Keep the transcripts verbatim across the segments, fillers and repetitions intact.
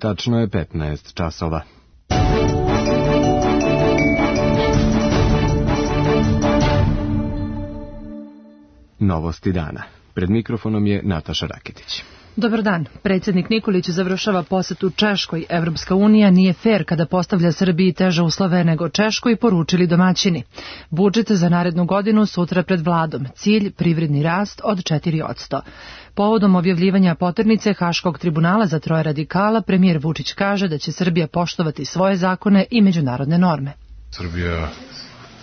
Tačno je petnaest časova. Novosti dana. Pred mikrofonom je Nataša Raketić. Dobar dan. Predsjednik Nikolić završava posetu Češkoj. Evropska unija nije fer kada postavlja Srbiji teže uslove nego Češkoj, poručili domaćini. Budžet za narednu godinu sutra pred vladom. Cilj privredni rast od četiri posto. Povodom objavljivanja poternice Haškog tribunala za troje radikala, premijer Vučić kaže da će Srbija poštovati svoje zakone i međunarodne norme. Srbija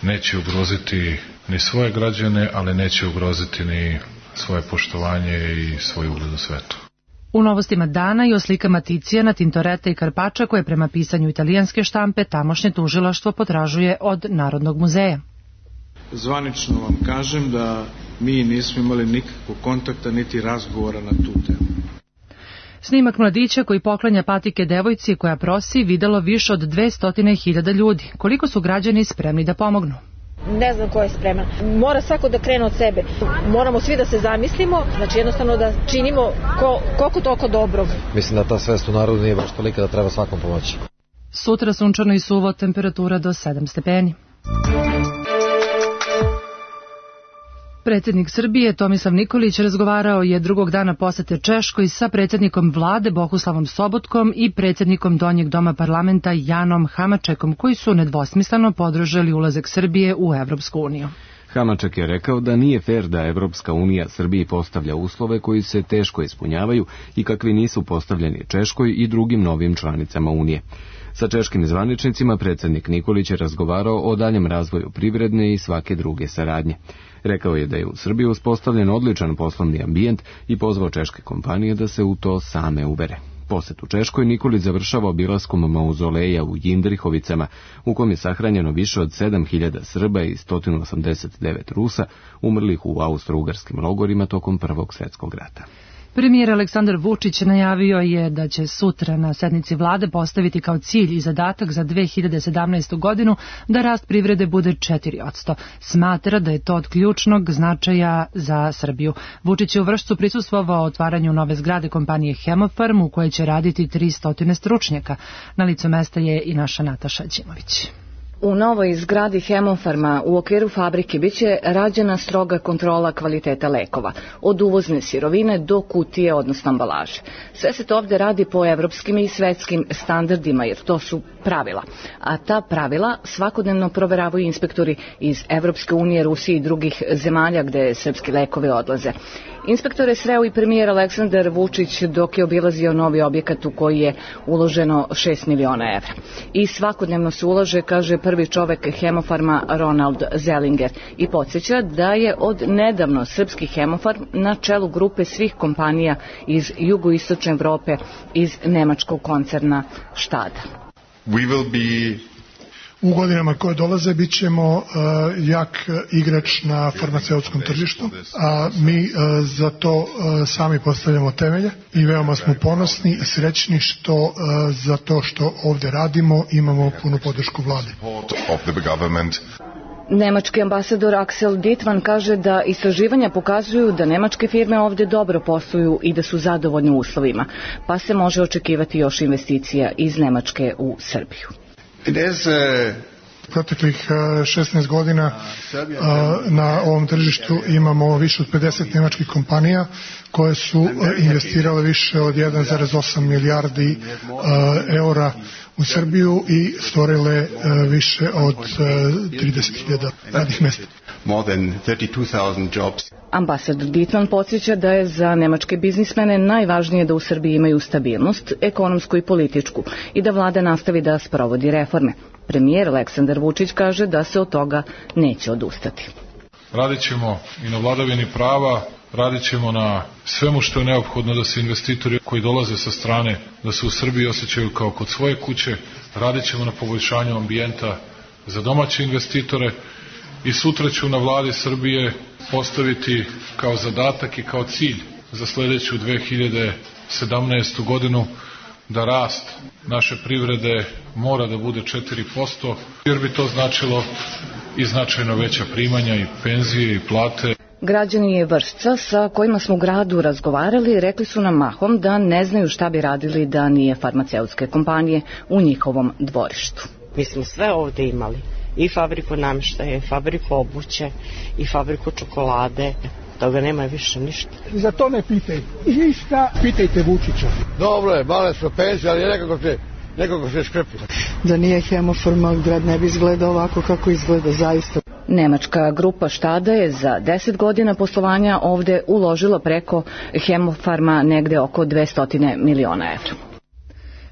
neće ugroziti ni svoje građane, ali neće ugroziti ni svoje poštovanje i svoj ugled u svetu. U novostima dana i o slikama Ticijana, Tintoreta i Karpača koje prema pisanju italijanske štampe tamošnje tužilaštvo potražuje od Narodnog muzeja. Zvanično vam kažem da mi nismo imali nikakvog kontakta niti razgovora na tu temu. Snimak mladića koji poklanja patike devojci koja prosi videlo više od dvesta hiljada ljudi. Koliko su građani spremni da pomognu? Ne znam ko je spreman. Mora svako da krene od sebe. Moramo svi da se zamislimo, znači jednostavno da činimo ko, koliko toliko dobrog. Mislim da ta svest u narodu nije baš tolika da treba svakom pomoći. Sutra sunčano i suvo, temperatura do sedam stepeni. Predsjednik Srbije Tomislav Nikolić razgovarao je drugog dana posete Češkoj sa predsjednikom vlade Bohuslavom Sobotkom i predsjednikom Donjeg doma parlamenta Janom Hamačekom, koji su nedvosmisleno podržali ulazak Srbije u Evropsku uniju. Hamaček je rekao da nije fer da Evropska unija Srbiji postavlja uslove koji se teško ispunjavaju i kakvi nisu postavljeni Češkoj i drugim novim članicama Unije. Sa češkim zvaničnicima predsjednik Nikolić je razgovarao o daljem razvoju privredne i svake druge saradnje. Rekao je da je u Srbiji uspostavljen odličan poslovni ambijent i pozvao češke kompanije da se u to same uvere. Posetu Češkoj Nikolić završava obilaskom mauzoleja u Jindrihovicama, u kom je sahranjeno više od sedam hiljada Srba i sto osamdeset devet Rusa, umrlih u austro-ugarskim logorima tokom Prvog svjetskog rata. Premijer Aleksandar Vučić najavio je da će sutra na sednici vlade postaviti kao cilj i zadatak za dve hiljade sedamnaestu. godinu da rast privrede bude četiri posto. Smatra da je to od ključnog značaja za Srbiju. Vučić je u Vršcu prisustvovao otvaranju nove zgrade kompanije Hemofarm u kojoj će raditi tristo stručnjaka. Na licu mesta je i naša Nataša Đimović. U novoj zgradi Hemofarma u okviru fabrike biće rađena stroga kontrola kvaliteta lekova, od uvozne sirovine do kutije, odnosno ambalaže. Sve se to ovde radi po evropskim i svetskim standardima, jer to su pravila. A ta pravila svakodnevno proveravaju inspektori iz Evropske unije, Rusije i drugih zemalja gde srpski lekovi odlaze. Inspektore sreo i premijer Aleksandar Vučić dok je obilazio novi objekat u koji je uloženo šest miliona evra. I svakodnevno se ulaže, kaže prvi čovek Hemofarma Ronald Zellinger, i podsjeća da je od nedavno srpski Hemofarm na čelu grupe svih kompanija iz jugoistočne Evrope iz nemačkog koncerna Štada. We will be U godinama koje dolaze bit ćemo uh, jak igrač na farmaceutskom tržištu, a mi uh, za to uh, sami postavljamo temelje i veoma smo ponosni i srećni što uh, za to što ovde radimo imamo punu podršku vlade. Nemački ambasador Axel Dittmann kaže da istraživanja pokazuju da nemačke firme ovde dobro posluju i da su zadovoljni uslovima, pa se može očekivati još investicija iz Nemačke u Srbiju. Proteklih šesnaest godina na ovom tržištu imamo više od pedeset nemačkih kompanija koje su investirale više od jedan zarez osam milijardi eura u Srbiju i stvorile više od trideset hiljada radnih mesta. Ambasador Dittmann podsjeća da je za nemačke biznismene najvažnije da u Srbiji imaju stabilnost, ekonomsku i političku, i da vlada nastavi da sprovodi reforme. Premijer Aleksandar Vučić kaže da se od toga neće odustati. Radit ćemo i na vladavini prava, radit ćemo na svemu što je neophodno da se investitori koji dolaze sa strane, da se u Srbiji osjećaju kao kod svoje kuće, radit ćemo na poboljšanju ambijenta za domaće investitore i sutra ću na vladi Srbije postaviti kao zadatak i kao cilj za sledeću dve hiljade sedamnaestu. godinu da rast naše privrede mora da bude četiri posto, jer bi to značilo i značajno veća primanja i penzije i plate. Građani Vršca sa kojima smo u gradu razgovarali rekli su nam mahom da ne znaju šta bi radili da nije farmaceutske kompanije u njihovom dvorištu. Mi smo sve ovde imali, i fabriku namještaja, i fabriku obuće, i fabriku čokolade. Toga nema više ništa. Za to ne pitajte. Ništa, pitajte Vučića. Dobro je, male su penzije, ali nekako se, nekako se škrpi. Da nije Hemofarma, grad ne bi izgledao ovako kako izgleda zaista. Nemačka grupa Štada je za deset godina poslovanja ovde uložila preko Hemofarma negde oko dvesta miliona evra.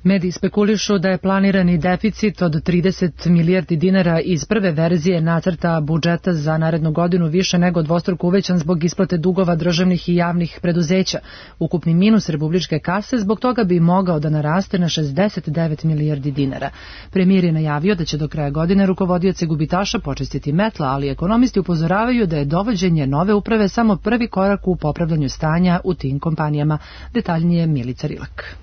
Mediji spekulišu da je planirani deficit od trideset milijardi dinara iz prve verzije nacrta budžeta za narednu godinu više nego dvostruko uvećan zbog isplate dugova državnih i javnih preduzeća. Ukupni minus republičke kase zbog toga bi mogao da naraste na šezdeset devet milijardi dinara. Premijer je najavio da će do kraja godine rukovodioce gubitaša počistiti metla, ali ekonomisti upozoravaju da je dovođenje nove uprave samo prvi korak u popravljanju stanja u tim kompanijama. Detaljnije Milica Rilak.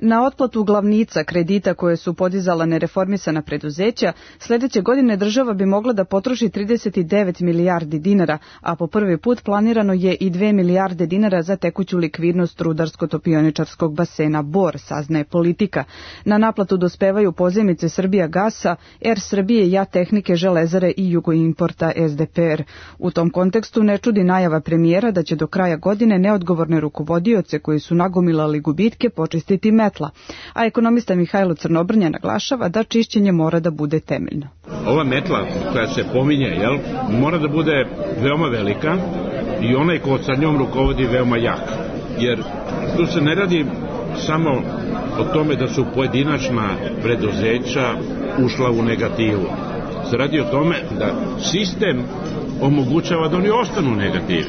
Na otplatu glavnica kredita koje su podizala nereformisana preduzeća, sledeće godine država bi mogla da potroši trideset devet milijardi dinara, a po prvi put planirano je i dve milijarde dinara za tekuću likvidnost rudarsko-topioničarskog basena Bor, saznaje Politika. Na naplatu dospevaju pozajmice Srbija gasa, Er Srbije, Ja Tehnike, Železare i Jugoimporta S D P R. U tom kontekstu ne čudi najava premijera da će do kraja godine neodgovorne rukovodioce koji su nagomilali gubitke počistiti metla. A ekonomista Mihajlo Crnobrnja naglašava da čišćenje mora da bude temeljno. Ova metla koja se pominje, jel, mora da bude veoma velika i onaj ko sa njom rukovodi veoma jak. Jer tu se ne radi samo o tome da su pojedinačna preduzeća ušla u negativu. Se radi o tome da sistem omogućava da oni ostanu u negativi.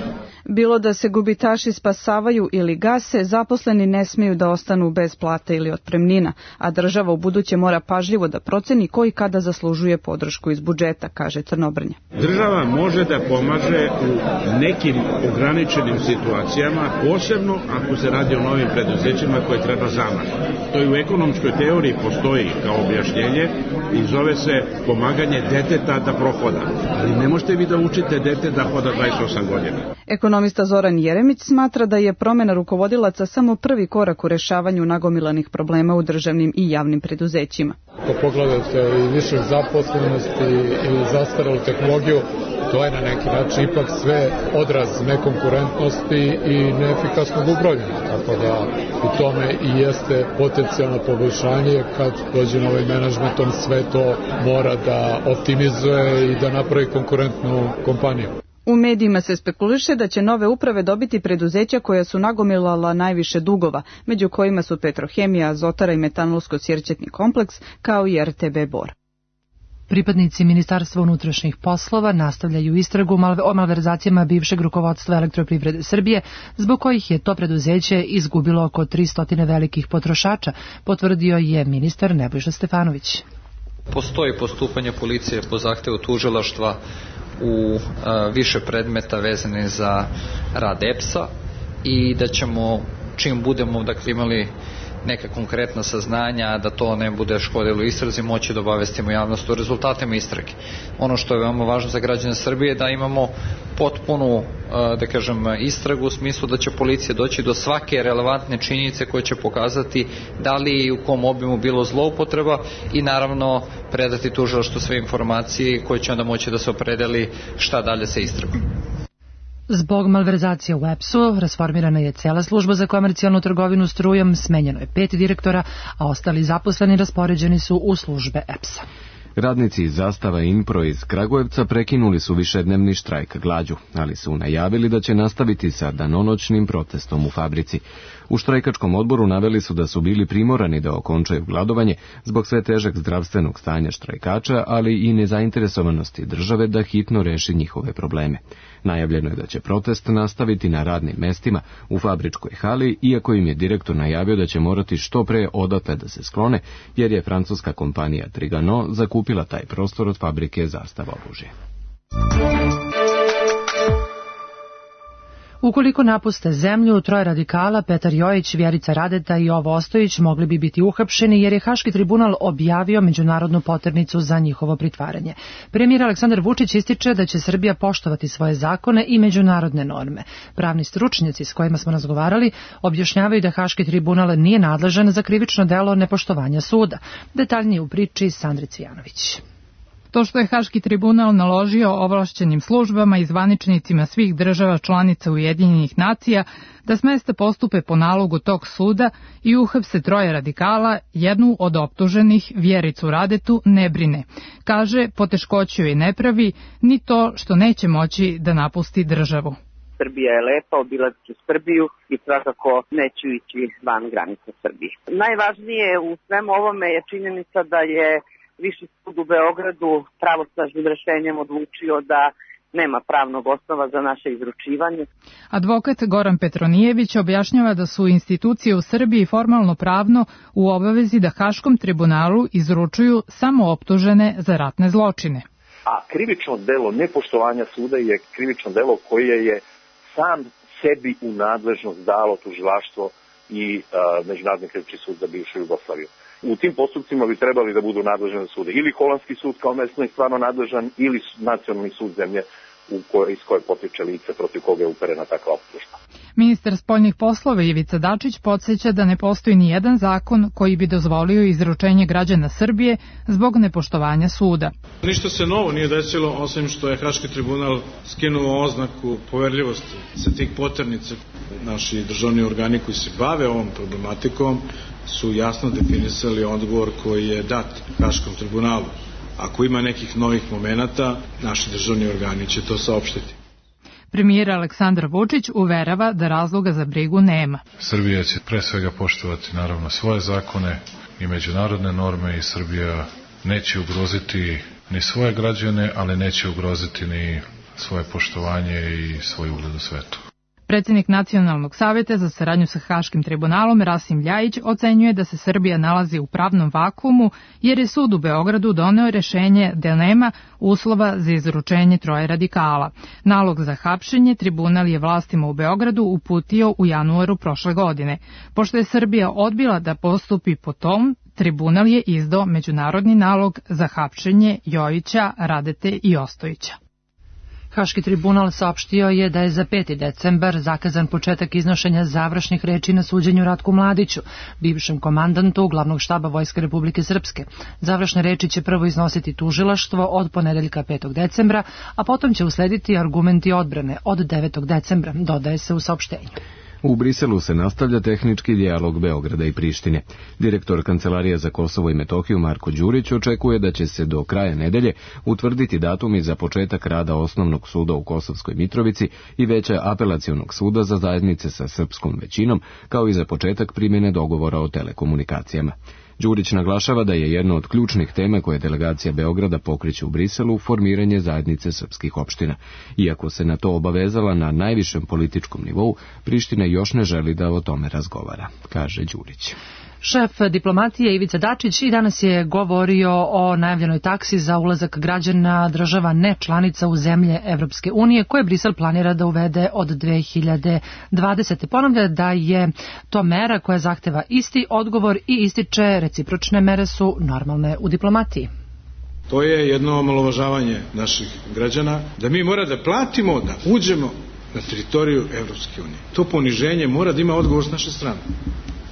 Bilo da se gubitaši spasavaju ili gase, zaposleni ne smiju da ostanu bez plate ili otpremnina, a država u buduće mora pažljivo da proceni ko i kada zaslužuje podršku iz budžeta, kaže Crnobrnja. Država može da pomaže u nekim ograničenim situacijama, posebno ako se radi o novim preduzećima koje treba zamah. To i u ekonomskoj teoriji postoji kao objašnjenje i zove se pomaganje deteta da prohoda. Ali ne možete vi da učite dete da hoda dvadeset osam godina. Ekonomista Zoran Jeremić smatra da je promena rukovodilaca samo prvi korak u rešavanju nagomilanih problema u državnim i javnim preduzećima. Ako pogledate i više zaposlenosti i zastarelu tehnologiju, to je na neki način ipak sve odraz nekonkurentnosti i neefikasnog upravljanja. Tako da u tome i jeste potencijalno poboljšanje kad dođe novi menadžment, on sve to mora da optimizuje i da napravi konkurentnu kompaniju. U medijima se spekuliše da će nove uprave dobiti preduzeća koja su nagomilala najviše dugova, među kojima su Petrohemija, Azotara i Metanolsko-Sjerćetni kompleks, kao i R T B Bor. Pripadnici Ministarstva unutrašnjih poslova nastavljaju istragu o malverzacijama bivšeg rukovodstva Elektroprivrede Srbije, zbog kojih je to preduzeće izgubilo oko tristo velikih potrošača, potvrdio je ministar Nebojša Stefanović. Postoji postupanje policije po zahtevu tužilaštva u više predmeta vezane za rad E P S-a i da ćemo, čim budemo dakle, imali neka konkretna saznanja, da to ne bude škodilo istrazi, moći da obavestimo javnost o rezultatima istrage. Ono što je veoma važno za građane Srbije je da imamo potpunu, da kažem, istragu u smislu da će policija doći do svake relevantne činjenice koje će pokazati da li i u kom obimu bilo zloupotreba i naravno predati tužilaštvu sve informacije koje će onda moći da se opredeli šta dalje sa istragom. Zbog malverzacije u E P S-u rasformirana je cela služba za komercijalnu trgovinu strujom, smenjeno je pet direktora, a ostali zaposleni raspoređeni su u službe E P S-a. Radnici iz Zastava Inpro iz Kragujevca prekinuli su višednevni štrajk glađu, ali su najavili da će nastaviti sa danonoćnim protestom u fabrici. U štrajkačkom odboru naveli su da su bili primorani da okončaju gladovanje zbog sve težeg zdravstvenog stanja štrajkača, ali i nezainteresovanosti države da hitno reši njihove probleme. Najavljeno je da će protest nastaviti na radnim mestima u fabričkoj hali, iako im je direktor najavio da će morati što pre odatle da se sklone, jer je francuska kompanija Trigano zakupila taj prostor od fabrike Zastava oružje. Ukoliko napuste zemlju, troje radikala, Petar Jojić, Vjerica Radeta i Jovo Ostojić mogli bi biti uhapšeni jer je Haški tribunal objavio međunarodnu poternicu za njihovo pritvaranje. Premijer Aleksandar Vučić ističe da će Srbija poštovati svoje zakone i međunarodne norme. Pravni stručnjaci s kojima smo razgovarali objašnjavaju da Haški tribunal nije nadležan za krivično delo nepoštovanja suda. Detaljnije u priči Sandri Cvijanović. To što je Haški tribunal naložio ovlašćenim službama i zvaničnicima svih država članica Ujedinjenih nacija da smeste postupe po nalogu tog suda i uhapse troje radikala, jednu od optuženih, Vjericu Radetu, ne brine. Kaže, poteškoću joj ne pravi, ni to što neće moći da napusti državu. Srbija je lepa, obilazit ću Srbiju i svakako neću ići van granica Srbije. Najvažnije u svemu ovome je činjenica da je Viši sud u Beogradu pravosnažnim rešenjem odlučio da nema pravnog osnova za naše izručivanje. Advokat Goran Petronijević objašnjava da su institucije u Srbiji formalno pravno u obavezi da Haškom tribunalu izručuju samo optužene za ratne zločine. A krivično delo nepoštovanja suda je krivično delo koje je sam sebi u nadležnost dalo tužilaštvo i uh, Međunarodni krivični sud za bivšu Jugoslaviju. U tim postupcima bi trebali da budu nadležni sude. Ili holandski sud kao mesno i stvarno nadležan, ili nacionalni sud zemlje u kojoj, iz koje potiče lice protiv koga je uperena takva optužba. Ministar spoljnih poslova Ivica Dačić podsjeća da ne postoji ni jedan zakon koji bi dozvolio izručenje građana Srbije zbog nepoštovanja suda. Ništa se novo nije desilo, osim što je Haški tribunal skinuo oznaku poverljivosti sa tih poternica. Naši državni organi koji se bave ovom problematikom su jasno definisali odgovor koji je dat Haškom tribunalu. Ako ima nekih novih momenata, naši državni organi će to saopštiti. Premijer Aleksandar Vučić uverava da razloga za brigu nema. Srbija će pre svega poštovati naravno svoje zakone i međunarodne norme i Srbija neće ugroziti ni svoje građane, ali neće ugroziti ni svoje poštovanje i svoj ugled u svetu. Predsjednik Nacionalnog saveta za saradnju sa Haškim tribunalom Rasim Ljajić ocenjuje da se Srbija nalazi u pravnom vakuumu jer je sud u Beogradu doneo rešenje da nema uslova za izručenje troje radikala. Nalog za hapšenje tribunal je vlastima u Beogradu uputio u januaru prošle godine. Pošto je Srbija odbila da postupi po tom, tribunal je izdao međunarodni nalog za hapšenje Jojića, Radete i Ostojića. Haški tribunal saopštio je da je za peti decembar zakazan početak iznošenja završnih reči na suđenju Ratku Mladiću, bivšem komandantu glavnog štaba Vojske Republike Srpske. Završne reči će prvo iznositi tužilaštvo od ponedeljka petog decembra, a potom će uslediti argumenti odbrane od devetog decembra, dodaje se u saopštenju. U Briselu se nastavlja tehnički dijalog Beograda i Prištine. Direktor Kancelarije za Kosovo i Metohiju Marko Đurić očekuje da će se do kraja nedelje utvrditi datumi za početak rada Osnovnog suda u Kosovskoj Mitrovici i Veća apelacionog suda za zajednice sa srpskom većinom, kao i za početak primjene dogovora o telekomunikacijama. Đurić naglašava da je jedna od ključnih tema koje delegacija Beograda pokreće u Briselu formiranje zajednice srpskih opština. Iako se na to obavezala na najvišem političkom nivou, Priština još ne želi da o tome razgovara, kaže Đurić. Šef diplomatije Ivica Dačić i danas je govorio o najavljenoj taksi za ulazak građana država ne članica u zemlje Evropske unije koje Brisel planira da uvede od dve hiljade dvadesete. Ponavlja da je to mera koja zahteva isti odgovor i ističe recipročne mere su normalne u diplomatiji. To je jedno omalovažavanje naših građana, da mi mora da platimo da uđemo na teritoriju Evropske unije. To poniženje mora da ima odgovor s naše strane.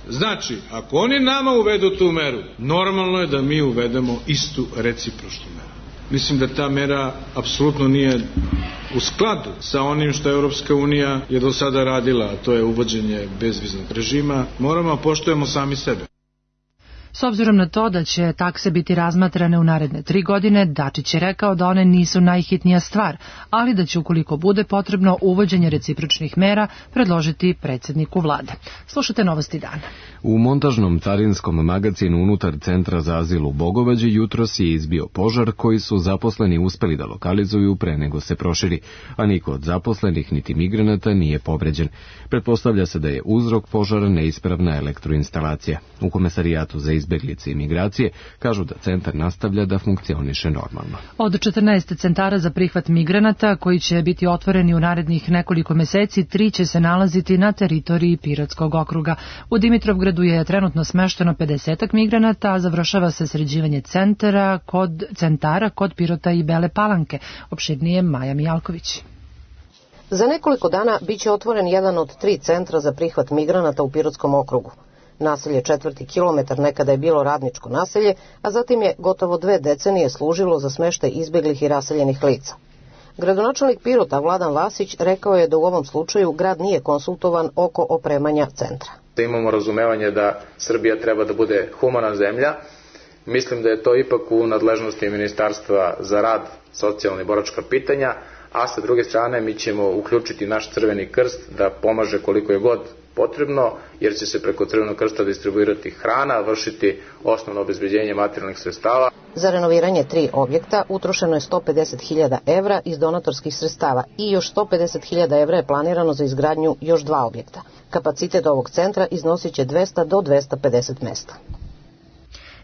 Znači, ako oni nama uvedu tu meru, normalno je da mi uvedemo istu recipročnu meru. Mislim da ta mera apsolutno nije u skladu sa onim što Evropska unija je do sada radila, a to je uvođenje bezviznog režima. Moramo da poštujemo sami sebe. S obzirom na to da će takse biti razmatrane u naredne tri godine, Dačić je rekao da one nisu najhitnija stvar, ali da će ukoliko bude potrebno uvođenje recipročnih mera predložiti predsjedniku vlade. Slušajte Novosti dana. U montažnom carinskom magacinu unutar centra za azil u Bogovađi jutros je izbio požar koji su zaposleni uspeli da lokalizuju pre nego se proširi, a niko od zaposlenih niti migranata nije povređen. Pretpostavlja se da je uzrok požara neispravna elektroinstalacija. U Komesarijatu za izbeglice i migracije kažu da centar nastavlja da funkcioniše normalno. Od četrnaest centara za prihvat migranata koji će biti otvoreni u narednih nekoliko meseci, tri će se nalaziti na teritoriji Pirotskog okruga. U Dimitrovgradu je trenutno smešteno pedeset migranata, a završava se sređivanje centara kod centara kod Pirota i Bele Palanke. Opširnije Maja Mijalković. Za nekoliko dana biće otvoren jedan od tri centra za prihvat migranata u Pirotskom okrugu. Naselje Četvrti kilometar nekada je bilo radničko naselje, a zatim je gotovo dve decenije služilo za smeštaj izbeglih i raseljenih lica. Gradonačelnik Pirota Vladan Vasić rekao je da u ovom slučaju grad nije konsultovan oko opremanja centra. Da imamo razumevanje da Srbija treba da bude humana zemlja. Mislim da je to ipak u nadležnosti Ministarstva za rad, socijalna i boračka pitanja, a sa druge strane mi ćemo uključiti naš Crveni krst da pomaže koliko je god potrebno, jer će se preko Crvenog krsta distribuirati hrana, vršiti osnovno obezbeđenje materijalnih sredstava. Za renoviranje tri objekta utrošeno je sto pedeset hiljada evra iz donatorskih sredstava i još sto pedeset hiljada evra je planirano za izgradnju još dva objekta. Kapacitet ovog centra iznosit će dvesta do dvesta pedeset mesta.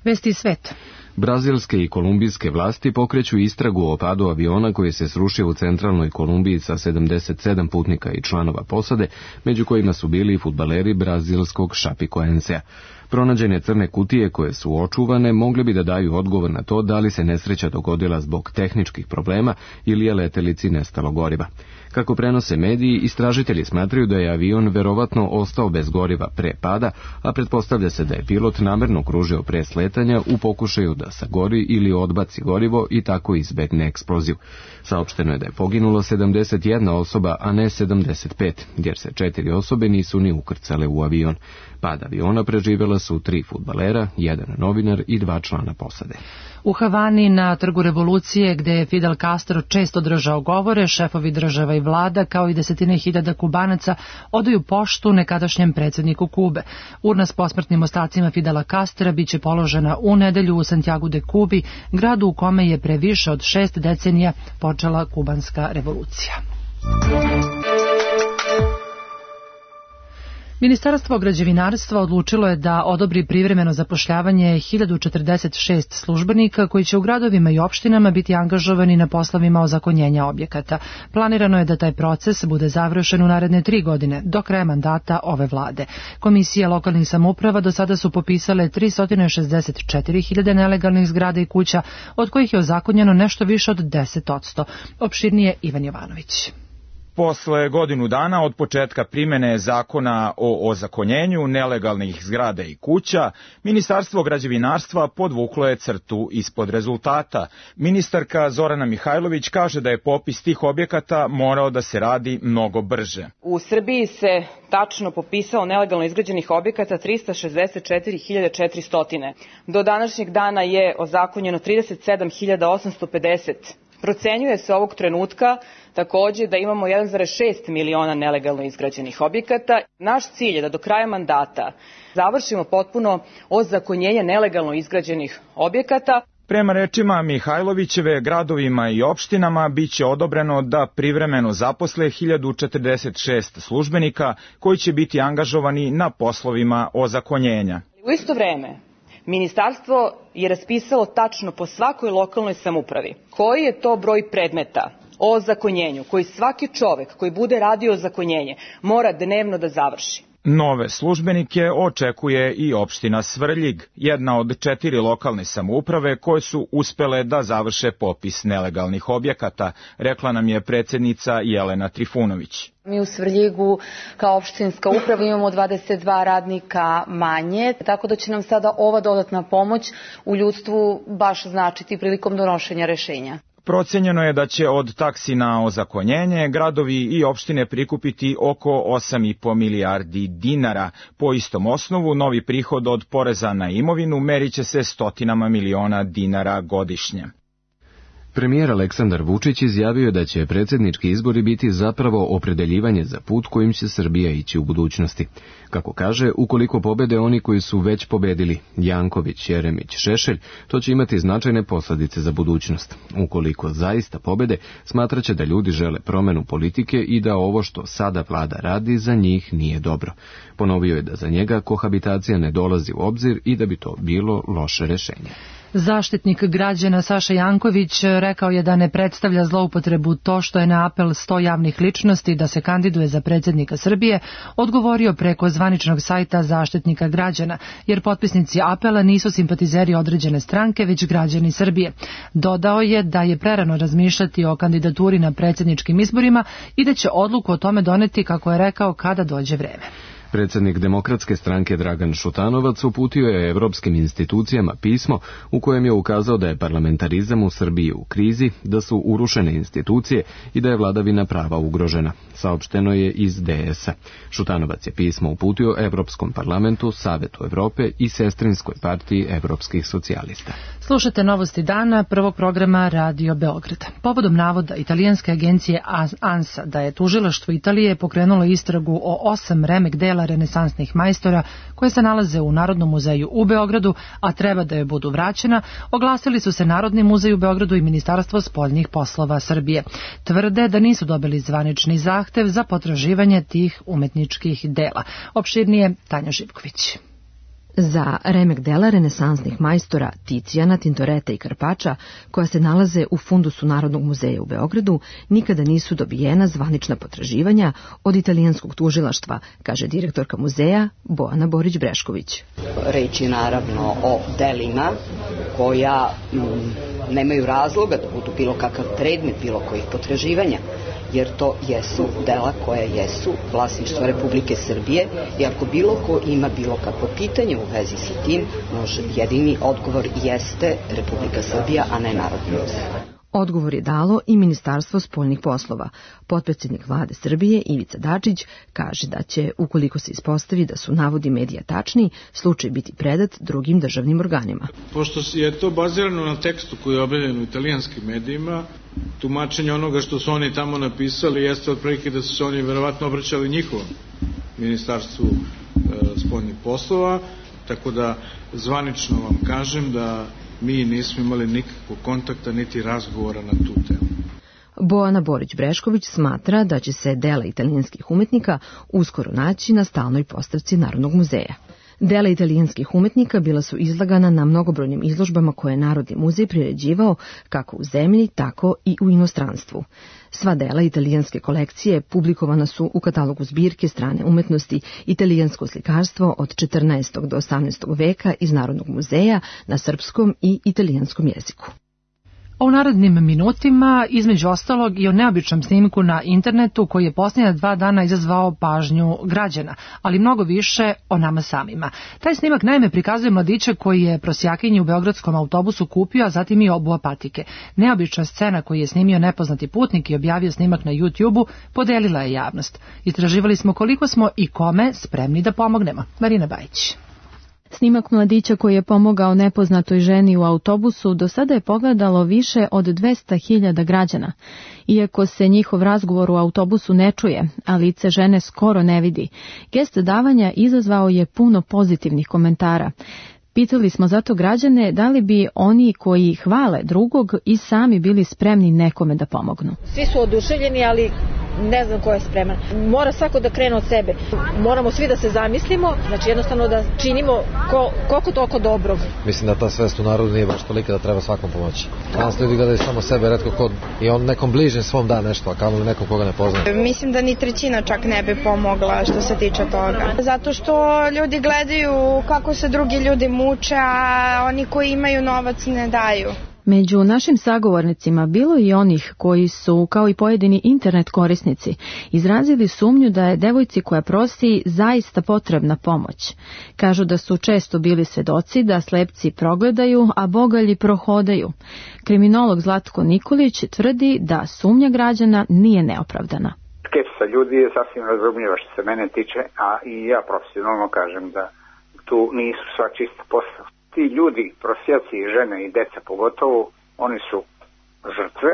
Vesti sveta. Brazilske i kolumbijske vlasti pokreću istragu o padu aviona koji se srušio u centralnoj Kolumbiji sa sedamdeset sedam putnika i članova posade, među kojima su bili i fudbaleri brazilskog Chapecoensea. Pronađene crne kutije koje su očuvane mogle bi da daju odgovor na to da li se nesreća dogodila zbog tehničkih problema ili je letelici nestalo goriva. Kako prenose mediji, istražitelji smatraju da je avion verovatno ostao bez goriva pre pada, a pretpostavlja se da je pilot namerno kružio pre sletanja u pokušaju da sagori ili odbaci gorivo i tako izbegne eksploziju. Saopšteno je da je poginulo sedamdeset jedna osoba, a ne sedamdeset pet, jer se četiri osobe nisu ni ukrcale u avion. Pad aviona preživjela su tri fudbalera, jedan novinar i dva člana posade. U Havani na Trgu Revolucije, gde je Fidel Castro često držao govore, šefovi država i vlada, kao i desetine hiljada Kubanaca, odaju poštu nekadašnjem predsjedniku Kube. Urna s posmrtnim ostacima Fidela Castra biće položena u nedelju u Santiagu de Kubi, gradu u kome je pre više od šest decenija počela kubanska revolucija. Ministarstvo građevinarstva odlučilo je da odobri privremeno zapošljavanje hiljadu četrdeset šest službenika koji će u gradovima i opštinama biti angažovani na poslovima ozakonjenja objekata. Planirano je da taj proces bude završen u naredne tri godine, do kraja mandata ove vlade. Komisije lokalnih samouprava do sada su popisale tristo šezdeset četiri hiljade nelegalnih zgrada i kuća, od kojih je ozakonjeno nešto više od deset posto. Opširnije Ivan Jovanović. Posle godinu dana od početka primene zakona o ozakonjenju nelegalnih zgrada i kuća, Ministarstvo građevinarstva podvuklo je crtu ispod rezultata. Ministarka Zorana Mihajlović kaže da je popis tih objekata morao da se radi mnogo brže. U Srbiji se tačno popisalo nelegalno izgrađenih objekata tristo šezdeset četiri hiljade četiristo. Do današnjeg dana je ozakonjeno trideset sedam hiljada osamsto pedeset. Procenjuje se ovog trenutka takođe da imamo jedan zarez šest miliona nelegalno izgrađenih objekata. Naš cilj je da do kraja mandata završimo potpuno ozakonjenje nelegalno izgrađenih objekata. Prema rečima Mihajlovićeve, gradovima i opštinama biće odobreno da privremeno zaposle hiljadu četrdeset šest službenika koji će biti angažovani na poslovima ozakonjenja. U isto vreme, Ministarstvo je raspisalo tačno po svakoj lokalnoj samoupravi koji je to broj predmeta o ozakonjenju koji svaki čovek koji bude radio ozakonjenje mora dnevno da završi. Nove službenike očekuje i opština Svrljig, jedna od četiri lokalne samouprave koje su uspele da završe popis nelegalnih objekata, rekla nam je predsjednica Jelena Trifunović. Mi u Svrljigu kao opštinska uprava imamo dvadeset dva radnika manje, tako da će nam sada ova dodatna pomoć u ljudstvu baš značiti prilikom donošenja rešenja. Procenjeno je da će od taksi na ozakonjenje gradovi i opštine prikupiti oko osam i po milijardi dinara. Po istom osnovu, novi prihod od poreza na imovinu meriće se stotinama miliona dinara godišnje. Premijer Aleksandar Vučić izjavio je da će predsjednički izbori biti zapravo opredeljivanje za put kojim će Srbija ići u budućnosti. Kako kaže, ukoliko pobede oni koji su već pobedili, Janković, Jeremić, Šešelj, to će imati značajne posljedice za budućnost. Ukoliko zaista pobede, smatraće da ljudi žele promjenu politike i da ovo što sada vlada radi za njih nije dobro. Ponovio je da za njega kohabitacija ne dolazi u obzir i da bi to bilo loše rješenje. Zaštitnik građana Saša Janković rekao je da ne predstavlja zloupotrebu to što je na apel sto javnih ličnosti da se kandiduje za predsjednika Srbije odgovorio preko zvaničnog sajta Zaštitnika građana, jer potpisnici apela nisu simpatizeri određene stranke, već građani Srbije. Dodao je da je prerano razmišljati o kandidaturi na predsjedničkim izborima i da će odluku o tome doneti, kako je rekao, kada dođe vreme. Predsjednik Demokratske stranke Dragan Šutanovac uputio je evropskim institucijama pismo u kojem je ukazao da je parlamentarizam u Srbiji u krizi, da su urušene institucije i da je vladavina prava ugrožena. Saopšteno je iz D S-a. Šutanovac je pismo uputio Evropskom parlamentu, Savetu Evrope i Sestrinskoj partiji evropskih socijalista. Slušate novosti dana prvog programa Radio Beograd. Povodom navoda italijanske agencije ANSA da je tužilaštvo Italije pokrenulo istragu o osam remek dela renesansnih majstora koje se nalaze u Narodnom muzeju u Beogradu, a treba da je budu vraćena, oglasili su se Narodni muzej u Beogradu i Ministarstvo spoljnih poslova Srbije. Tvrde da nisu dobili zvanični zahtev za potraživanje tih umetničkih dela. Opširnije Tanja Živković. Za remek dela renesansnih majstora Ticijana, Tintoreta i Karpača, koja se nalaze u fundusu Narodnog muzeja u Beogradu, nikada nisu dobijena zvanična potraživanja od italijanskog tužilaštva, kaže direktorka muzeja Bojana Borić-Brešković. Reč je naravno o delima koja m, nemaju razloga da budu bilo kakav predmet bilo kojih potraživanja, jer to jesu dela koja jesu vlasništvo Republike Srbije i ako bilo ko ima bilo kakvo pitanje u vezi sa tim, može, jedini odgovor jeste Republika Srbija, a ne Narodni muzej. Odgovor je dalo i Ministarstvo spoljnih poslova. Potpredsjednik vlade Srbije Ivica Dačić kaže da će, ukoliko se ispostavi da su navodi medija tačni, slučaj biti predat drugim državnim organima. Pošto je to bazirano na tekstu koji je objavljen u italijanskim medijima, tumačenje onoga što su oni tamo napisali jeste otprilike da su se oni verovatno obraćali njihovom Ministarstvu e, spoljnih poslova, tako da zvanično vam kažem da mi nismo imali nikakvog kontakta niti razgovora na tu temu. Bojana Borić-Brešković smatra da će se dela italijanskih umetnika uskoro naći na stalnoj postavci Narodnog muzeja. Dela italijanskih umetnika bila su izlagana na mnogobrojnim izložbama koje je Narodni muzej priređivao kako u zemlji, tako i u inostranstvu. Sva dela italijanske kolekcije publikovana su u katalogu zbirke strane umetnosti Italijansko slikarstvo od četrnaestog do osamnaestog veka iz Narodnog muzeja na srpskom i italijanskom jeziku. U narednim minutima, između ostalog, i o neobičnom snimku na internetu koji je posljednja dva dana izazvao pažnju građana, ali mnogo više o nama samima. Taj snimak naime prikazuje mladića koji je prosjakinji u beogradskom autobusu kupio, a zatim i obuo patike. Neobična scena koju je snimio nepoznati putnik i objavio snimak na YouTube-u podelila je javnost. Istraživali smo koliko smo i kome spremni da pomognemo. Marina Bajić. Snimak mladića koji je pomogao nepoznatoj ženi u autobusu do sada je pogledalo više od dvesta hiljada građana. Iako se njihov razgovor u autobusu ne čuje, a lice žene skoro ne vidi, gest davanja izazvao je puno pozitivnih komentara. Pitali smo zato građane da li bi oni koji hvale drugog i sami bili spremni nekome da pomognu. Svi su oduševljeni, ali ne znam ko je spreman. Mora svako da krene od sebe. Moramo svi da se zamislimo, znači jednostavno da činimo ko, koliko toliko dobrog. Mislim da ta svest u narodu nije baš tolika da treba svakom pomoći. Danas ljudi gledaju samo sebe, retko kod i on nekom bližnjem svom da nešto, a kamoli nekom koga ne poznaje. Mislim da ni trećina čak ne bi pomogla što se tiče toga. Zato što ljudi gledaju kako se drugi ljudi muče, a oni koji imaju novac ne daju. Među našim sagovornicima bilo i onih koji su, kao i pojedini internet korisnici, izrazili sumnju da je devojci koja prosi zaista potrebna pomoć. Kažu da su često bili svedoci da slepci progledaju, a bogalji prohodaju. Kriminolog Zlatko Nikolić tvrdi da sumnja građana nije neopravdana. Skepsa ljudi je sasvim razumljiva što se mene tiče, a i ja profesionalno kažem da tu nisu sva čista posla. Ti ljudi, prosjaci, žene i deca pogotovo, oni su žrtve,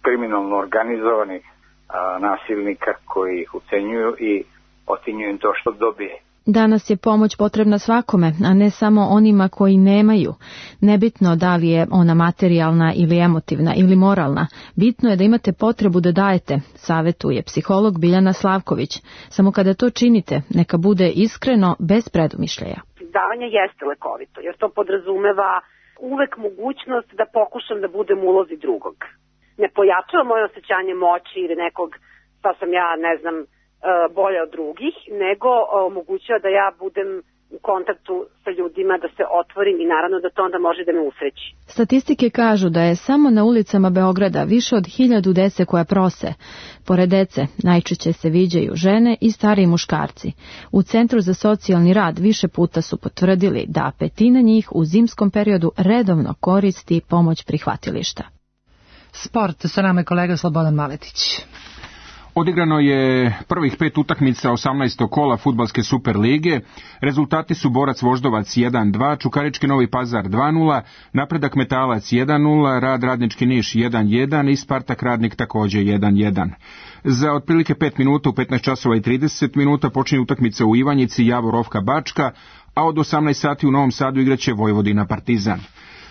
kriminalno organizovanih a, nasilnika koji ih ucenjuju i otinjuju im to što dobije. Danas je pomoć potrebna svakome, a ne samo onima koji nemaju. Nebitno da li je ona materijalna ili emotivna ili moralna, bitno je da imate potrebu da dajete, savetuje psiholog Biljana Slavković. Samo kada to činite, neka bude iskreno, bez predumišljaja. Davanje jeste lekovito, jer to podrazumeva uvek mogućnost da pokušam da budem u ulozi drugog. Ne pojačava moje osjećanje moći ili nekog, šta sam ja, ne znam, bolje od drugih, nego omogućava da ja budem u kontaktu sa ljudima, da se otvorim i naravno da to onda može da me usreći. Statistike kažu da je samo na ulicama Beograda više od hiljadu dece koja prose. Pored dece najčešće se viđaju žene i stariji muškarci. U Centru za socijalni rad više puta su potvrdili da petina njih u zimskom periodu redovno koristi pomoć prihvatilišta. Sport, sa nama je kolega Slobodan Maletić. Odigrano je prvih pet utakmica osamnaestog kola fudbalske Super lige. Rezultati su Borac Voždovac jedan dva, Čukarički Novi Pazar dva nula, Napredak Metalac jedan nula, Rad Radnički Niš jedan jedan i Spartak Radnik također jedan jedan. Za otprilike pet minuta u petnaest časova i trideset minuta počinje utakmica u Ivanjici Javor Ofka Bačka, a od osamnaest sati u Novom Sadu igraće Vojvodina Partizan.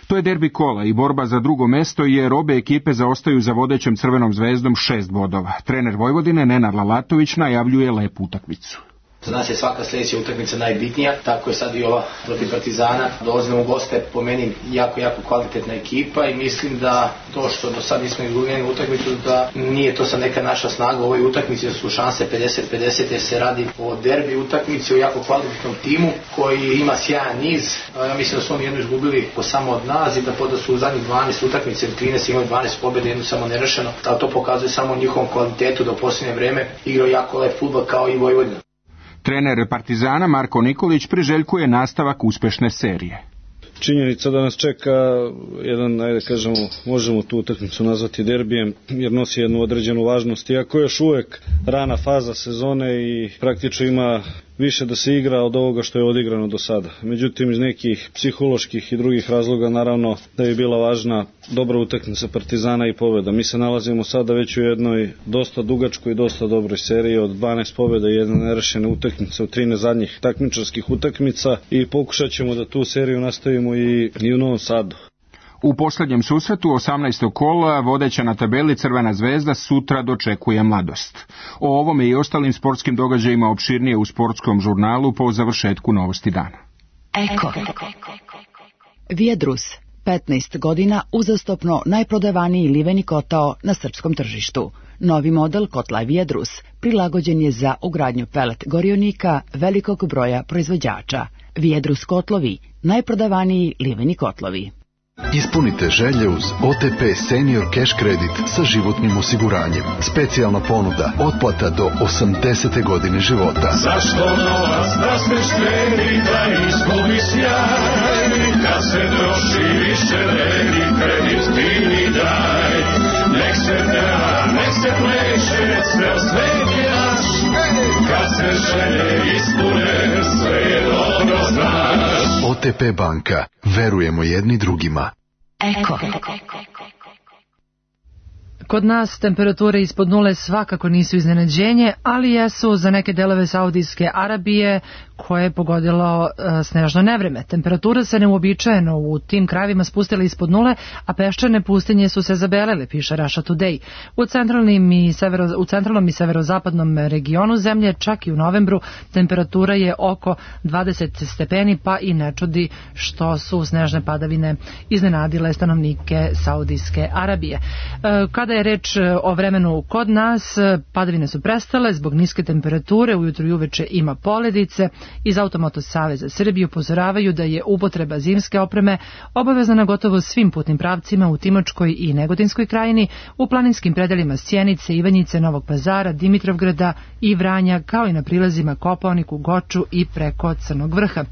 To je derbi kola i borba za drugo mesto jer obe ekipe zaostaju za vodećom Crvenom zvezdom šest bodova. Trener Vojvodine Nenad Lalatović najavljuje lepu utakmicu. Za nas je svaka sljedeća utakmica najbitnija, tako je sad i ova protiv Partizana. Dolazimo u goste, po meni jako, jako kvalitetna ekipa i mislim da to što do sad nismo izgubili utakmicu, da nije to sad neka naša snaga. U ovoj utakmici su šanse pedeset pedeset jer se radi o derbi utakmici, o jako kvalitetnom timu koji ima sjajan niz. Ja mislim da su oni jednu izgubili po samo od nas i da poda su u zadnjih dvanaest utakmice ili trinaest imali dvanaest pobjede, jednu samo nerešeno. Ali to pokazuje samo njihovom kvalitetu da u posljednje vreme igrao jako lep fudbal kao i Vojvodina. Trener Partizana Marko Nikolić priželjkuje nastavak uspešne serije. Činjenica da nas čeka jedan, ajde kažemo, možemo tu utakmicu nazvati derbijem, jer nosi jednu određenu važnost. Iako je još uvek rana faza sezone i praktično ima više da se igra od ovoga što je odigrano do sada. Međutim, iz nekih psiholoških i drugih razloga, naravno, da je bila važna dobra utakmica Partizana i pobjeda. Mi se nalazimo sada već u jednoj dosta dugačkoj i dosta dobroj seriji od dvanaest pobjeda i jedne nerešene utakmice u trinaest zadnjih takmičarskih utakmica i pokušat ćemo da tu seriju nastavimo i, i u Novom Sadu. U posljednjem susretu osamnaestog kola vodeća na tabeli Crvena zvezda sutra dočekuje Mladost. O ovome i ostalim sportskim događajima opširnije u sportskom žurnalu po završetku Novosti dana. Eko. Vijedrus, petnaest godina uzastopno najprodavaniji liveni kotao na srpskom tržištu. Novi model kotla Vijedrus prilagođen je za ugradnju pelet gorionika velikog broja proizvođača. Vijedrus kotlovi, najprodavaniji liveni kotlovi. Ispunite želje uz O T P Senior Cash Credit sa životnim osiguranjem. Specijalna ponuda, otplata do osamdesete godine života. Zašto novac da smeš kredita izgubi sjaj? Kad se troši više vredi, kredit ti mi daj. Nek se peva, nek se pleše, ceo svet je naš. Kad se želje ispune, sve je dobro znaš. O T P banka. Verujemo jedni drugima. Eko. Kod nas temperature ispod nule svakako nisu iznenađenje, ali jesu za neke delove Saudijske Arabije koje je pogodilo uh, snežno nevreme. Temperatura se neuobičajeno u tim krajevima spustila ispod nule, a peščane pustinje su se zabelele, piše Russia Today. U centralnim i severo, u centralnom i severozapadnom regionu zemlje, čak i u novembru, temperatura je oko dvadeset stepeni, pa i ne čudi što su snežne padavine iznenadile stanovnike Saudijske Arabije. Uh, kada je reč o vremenu kod nas, padavine su prestale zbog niske temperature, ujutru i uveče ima poledice. Iz Automoto Saveza Srbije upozoravaju da je upotreba zimske opreme obavezna na gotovo svim putnim pravcima u Timočkoj i Negotinskoj krajini, u planinskim predelima Sjenice, Ivanjice, Novog Pazara, Dimitrovgrada i Vranja, kao i na prilazima Kopaoniku, Goču i preko Crnog Vrha.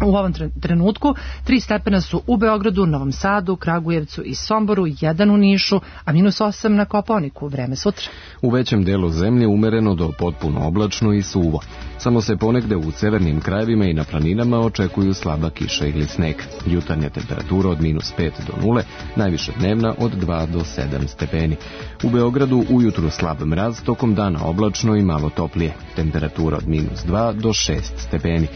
U ovom trenutku tri stepena su u Beogradu, Novom Sadu, Kragujevcu i Somboru, jedan u Nišu, a minus osam na Kopaoniku. Vreme sutra. U većem delu zemlje umereno do potpuno oblačno i suvo. Samo se ponegde u severnim krajevima i na planinama očekuju slaba kiša ili sneg. Jutarnja temperatura od minus pet do nule, najviša dnevna od dva do sedam stepeni. U Beogradu ujutru slab mraz, tokom dana oblačno i malo toplije. Temperatura od minus dva do šest stepeni.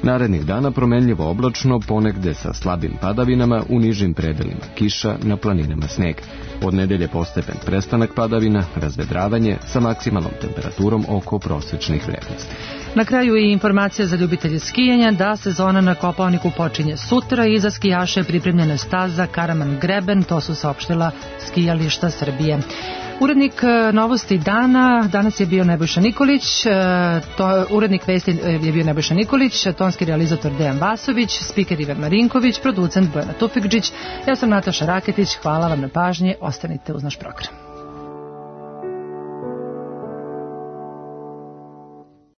Narednih dana promenljivo oblačno, ponegde sa slabim padavinama, u nižim predelima kiša, na planinama sneg. Od nedelje postepen prestanak padavina, razvedravanje sa maksimalnom temperaturom oko prosečnih vrednosti. Na kraju i informacija za ljubitelje skijanja da sezona na Kopaoniku počinje sutra i za skijaše je pripremljena staza Karaman Greben, to su saopštila skijališta Srbije. Urednik novosti dana danas je bio Nebojša Nikolić, to, urednik vesti je bio Nebojša Nikolić, tonski realizator Dejan Vasović, spiker Ivan Marinković, producent Bojana Tufikđić. Ja sam Nataša Raketić, hvala vam na pažnji, ostanite uz naš program.